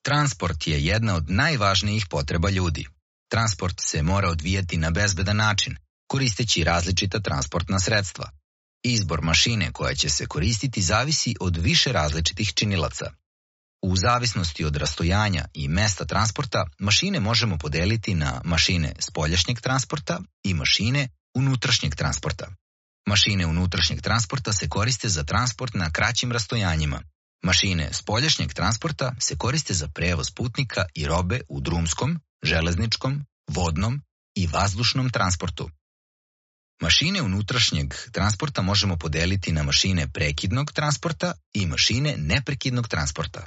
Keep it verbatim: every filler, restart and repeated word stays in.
Transport je jedna od najvažnijih potreba ljudi. Transport se mora odvijati na bezbedan način, koristeći različita transportna sredstva. Izbor mašine koja će se koristiti zavisi od više različitih činilaca. U zavisnosti od rastojanja i mesta transporta, mašine možemo podeliti na mašine spoljašnjeg transporta i mašine unutrašnjeg transporta. Mašine unutrašnjeg transporta se koriste za transport na kraćim rastojanjima. Mašine spoljašnjeg transporta se koriste za prevoz putnika i robe u drumskom, železničkom, vodnom i vazdušnom transportu. Mašine unutrašnjeg transporta možemo podeliti na mašine prekidnog transporta i mašine neprekidnog transporta.